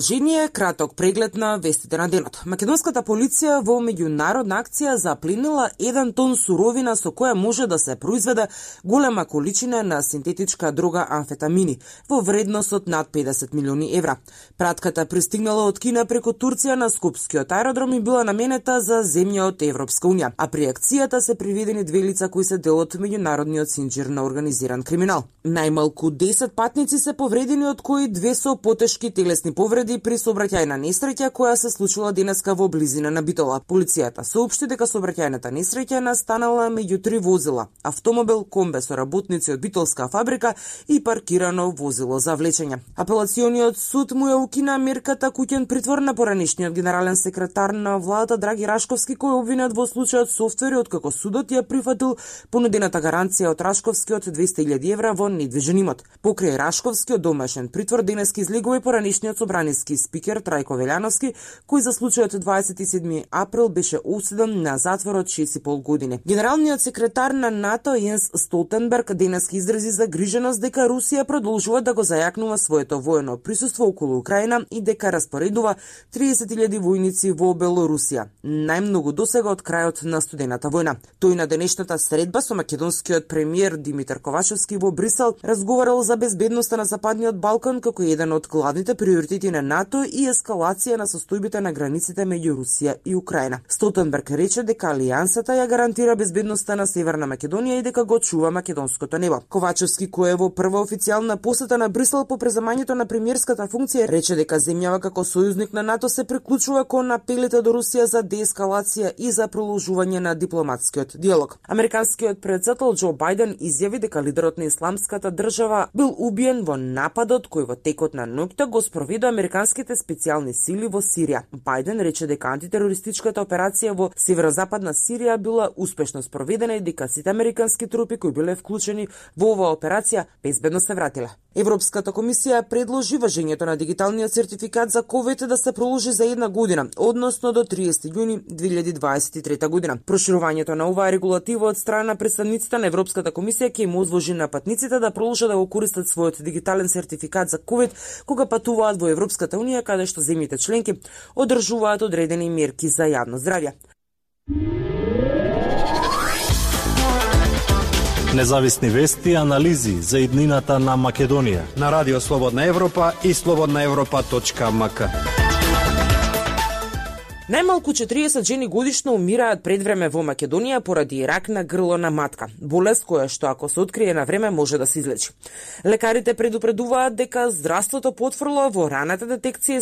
Жени е краток преглед на вестите на денот. Македонската полиција во меѓународна акција запленила 1 тон суровина со која може да се произведе голема количина на синтетичка дрога амфетамини во вредност од над 50 милиони евра. Пратката пристигнала од Кина преку Турција на Скопскиот аеродром и била наменета за земја од Европска унија, а при акцијата се приведени 2 лица кои се дел од меѓународниот синџир на организиран криминал. Најмалку 10 патници се повредени, од кои 2 со потешки телесни повреди при сообраќајна несреќа која се случила денеска во близина на Битола. Полицијата соопшти дека сообраќајната несреќа настанала меѓу 3 возила: автомобил, комбе со работници од битолска фабрика и паркирано возило за влечење. Апелациониот суд му ја укина мерката куќен притвор на поранешниот генерален секретар на владата Драги Рашковски, кој е обвинет во случајот софтвери, откако судот ја прифатил понудената гаранција од Рашковски од 200.000 евра во недвижен имот. Покрај Рашковски од домашен притвор денеска излегува и поранешниот собраниски спикер Трајко Велјановски, кој за случајот 27 април беше осуден на затвор од 6,5 години. Генералниот секретар на НАТО Јенс Столтенберг денеска изрази загриженост дека Русија продолжува да го зајакнува своето воено присуство околу Украина и дека распоредува 30.000 војници во Белорусија, најмногу досега од крајот на студената војна. Тој на денешната средба со македонскиот премиер Димитар Ковачевски во Брисел разговарал за безбедноста на Западниот Балкан како еден од главните приоритети на НАТО и ескалација на состојбите на границите меѓу Русија и Украина. Столтенберг рече дека алијансата ја гарантира безбедноста на Северна Македонија и дека го чува македонското небо. Ковачевски, кој е во прва официјална посета на Брисел по преземањето на премиерската функција, рече дека земјава како сојузник на НАТО се приклучува кон апелите до Русија за деескалација и за продолжување на дипломатскиот диалог. Американскиот претседател Џо Бајден изјави дека лидерот на исламската држава бил убиен во нападот кој во текот на ноќта го спроведе американските специјални сили во Сирија. Бајден рече дека антитерористичката операција во северозападна Сирија била успешно спроведена и дека сите американски трупи кои биле вклучени во оваа операција безбедно се вратиле. Европската комисија предложи важењето на дигиталниот сертификат за ковид да се проложи за 1 година, односно до 30 јуни 2023 година. Проширувањето на оваа регулатива од страна на представниците на Европската комисија ќе им озвожи на патниците да продолжат да го користат својот дигитален сертификат за ковид кога патуваат во Европската унија, каде што земјите членки одржуваат одредени мерки за јавно здравје. Независни вести и анализи за иднината на Македонија на Радио Слободна Европа и slobodnaevropa.mk. Најмалку 40 жени годишно умираат пред време во Македонија поради рак на грло на матка, болест која што ако се открие на време може да се излечи. Лекарите предупредуваат дека здравството потврла во раната детекција